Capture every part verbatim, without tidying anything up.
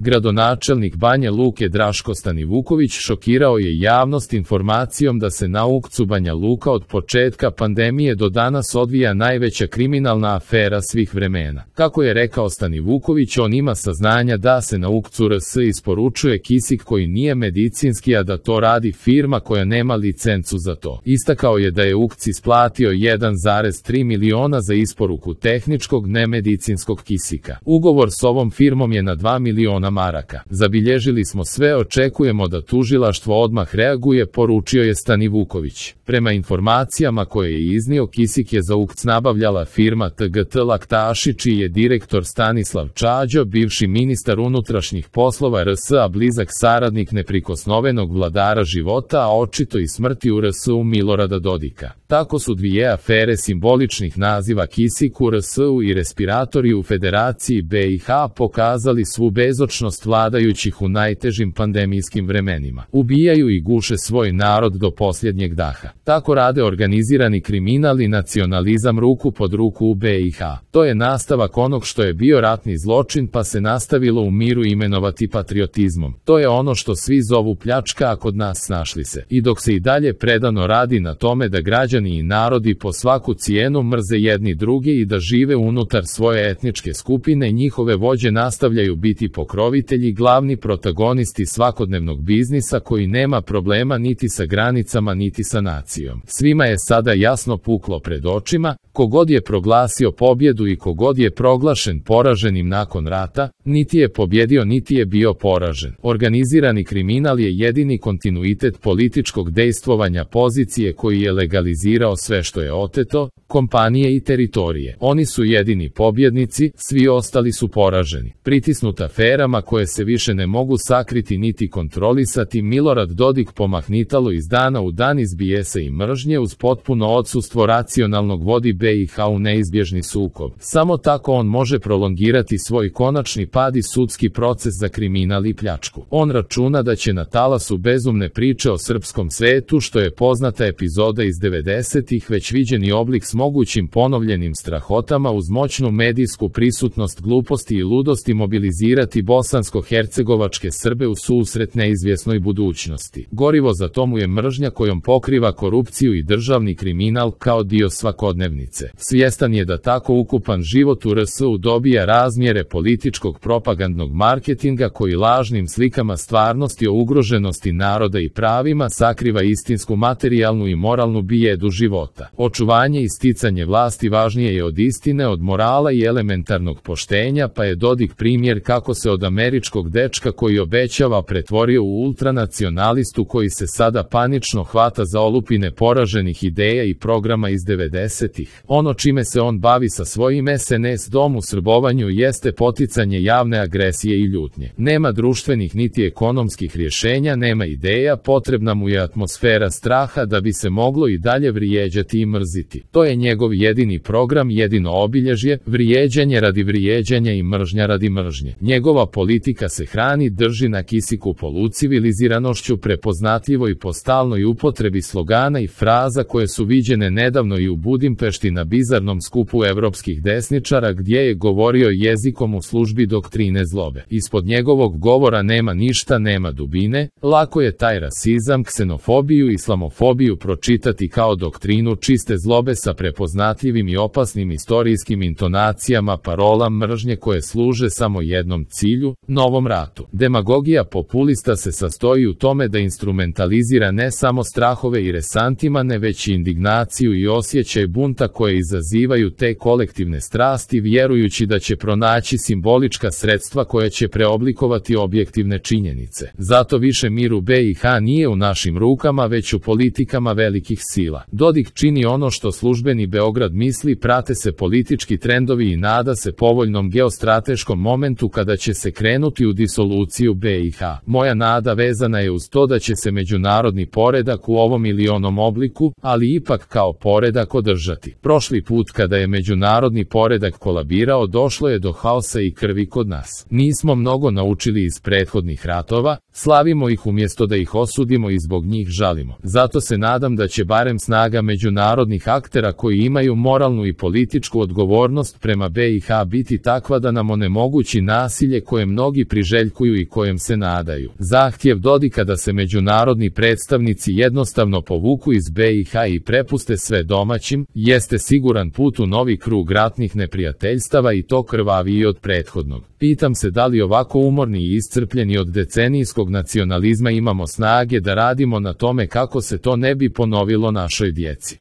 Gradonačelnik Banja Luke Draško Stanivuković šokirao je javnost informacijom da se na Ukcu Banja Luka od početka pandemije do danas odvija najveća kriminalna afera svih vremena. Kako je rekao Stanivuković, on ima saznanja da se na Ukcu R S isporučuje kisik koji nije medicinski, a da to radi firma koja nema licencu za to. Istakao je da je Ukc isplatio jedan zarez tri miliona za isporuku tehničkog nemedicinskog kisika. Ugovor s ovom firmom je na dva miliona maraka. Zabilježili smo sve, očekujemo da tužilaštvo odmah reaguje, poručio je Stanivuković. Prema informacijama koje je iznio, kisik je za Ukc nabavljala firma T G T Laktaši, čiji je direktor Stanislav Čađo, bivši ministar unutrašnjih poslova R S, a blizak saradnik neprikosnovenog vladara života, a očito i smrti u R S-u Milorada Dodika. Tako su dvije afere simboličnih naziva kisik u R S-u i respiratori u Federaciji B i H pokazali svu bezočnost vladajućih u najtežim pandemijskim vremenima. Ubijaju i guše svoj narod do posljednjeg daha. Tako rade organizirani kriminal i nacionalizam ruku pod ruku u B i H. To je nastavak onog što je bio ratni zločin, pa se nastavilo u miru imenovati patriotizmom. To je ono što svi zovu pljačka, a kod nas snašli se. I dok se i dalje predano radi na tome da građani i narodi po svaku cijenu mrze jedni druge i da žive unutar svoje etničke skupine, njihove vođe nastavljaju biti pokrovitelji, glavni protagonisti svakodnevnog biznisa koji nema problema niti sa granicama niti sa nacijom. Svima je sada jasno puklo pred očima, kogod je proglasio pobjedu i kogod je proglašen poraženim nakon rata, niti je pobjedio niti je bio poražen. Organizirani kriminal je jedini kontinuitet političkog dejstvovanja pozicije koji je legalizirao sve što je oteto, kompanije i teritorije. Oni su jedini pobjednici, svi ostali su poraženi. Pritisnut aferama koje se više ne mogu sakriti niti kontrolisati, Milorad Dodik pomahnitalo iz dana u dan iz bijesa i mržnje uz potpuno odsustvo racionalnog vodi B i H u neizbježni sukob. Samo tako on može prolongirati svoj konačni pad i sudski proces za kriminal i pljačku. On računa da će na talasu bezumne priče o srpskom svetu, što je poznata epizoda iz devedesetih, već viđeni oblik s mogućim ponovljenim strahotama uz moćnu medijsku prisutnost gluposti i ludosti mobilizirati bosansko-hercegovačke Srbe u susret neizvjesnoj budućnosti. Gorivo za tomu je mržnja kojom pokriva korupciju i državni kriminal kao dio svakodnevnice. Svjestan je da tako ukupan život u R S-u dobija razmjere političkog propagandnog marketinga koji lažnim slikama stvarnosti o ugroženosti naroda i pravima sakriva istinsku materijalnu i moralnu bijedu života. Očuvanje i sticanje vlasti važnije je od istine, od morala i elementarnog poštenja, pa je Dodik primjer kako se od američkog dečka koji obećava pretvorio u ultranacionalistu koji se sada panično hvata za olupine poraženih ideja i programa iz devedesetih. Ono čime se on bavi sa svojim S N S dom u srbovanju jeste poticanje javne agresije i ljutnje. Nema društvenih niti ekonomskih rješenja, nema ideja, potrebna mu je atmosfera straha da bi se moglo i dalje vrijeđati i mrziti. To je njegov jedini program, jedino obilježje, vrijeđanje radi vrijeđanja i mržnja radi mržnje. Njegova politika se hrani, drži na kisiku poluciviliziranošću, prepoznatljivoj po stalnoj upotrebi slogana i fraza koje su viđene nedavno i u Budimpešti na bizarnom skupu evropskih desničara gdje je govorio jezikom u službi doktrine zlobe. Ispod njegovog govora nema ništa, nema dubine, lako je taj rasizam, ksenofobiju i islamofobiju pročitati kao doktrinu čiste zlobe sa prepoznatljivim i opasnim istorijskim intonacijama parola mržnje koje služe samo jednom cilju, novom ratu. Demagogija populista se sastoji u tome da instrumentalizira ne samo strahove i resantima, ne već i indignaciju i osjećaj bunta koje izazivaju te kolektivne strasti, vjerujući da će pronaći simbolička sredstva koja će preoblikovati objektivne činjenice. Zato više mir u B i H nije u našim rukama, već u politikama velikih sila. Dodik čini ono što službeni Beograd misli, prate se politički trendovi i nada se povoljnom geostrateškom momentu kada će se krenuti u disoluciju B i H. Moja nada vezana je uz to da će se međunarodni poredak u ovom ili onom obliku, ali ipak kao poredak održati. Prošli put kada je međunarodni poredak kolabirao, došlo je do haosa i krvi kod nas. Nismo mnogo naučili iz prethodnih ratova, slavimo ih umjesto da ih osudimo i zbog njih žalimo. Zato se nadam da će barem snaga međunarodnih aktera koji imaju moralnu i političku odgovornost prema B i H biti takva da nam onemogući nasilje kojem mnogi priželjkuju i kojem se nadaju. Zahtjev Dodika da se međunarodni predstavnici jednostavno povuku iz B i H i prepuste sve domaćim, jeste siguran put u novi krug ratnih neprijateljstava i to krvaviji od prethodnog. Pitam se da li ovako umorni i iscrpljeni od decenijskog nacionalizma imamo snage da radimo na tome kako se to ne bi ponovilo našoj djeci.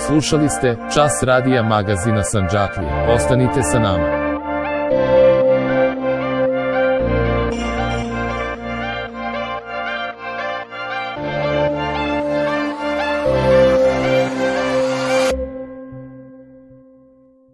Slušali ste Čas radija magazina Sandžaklija. Ostanite sa nama.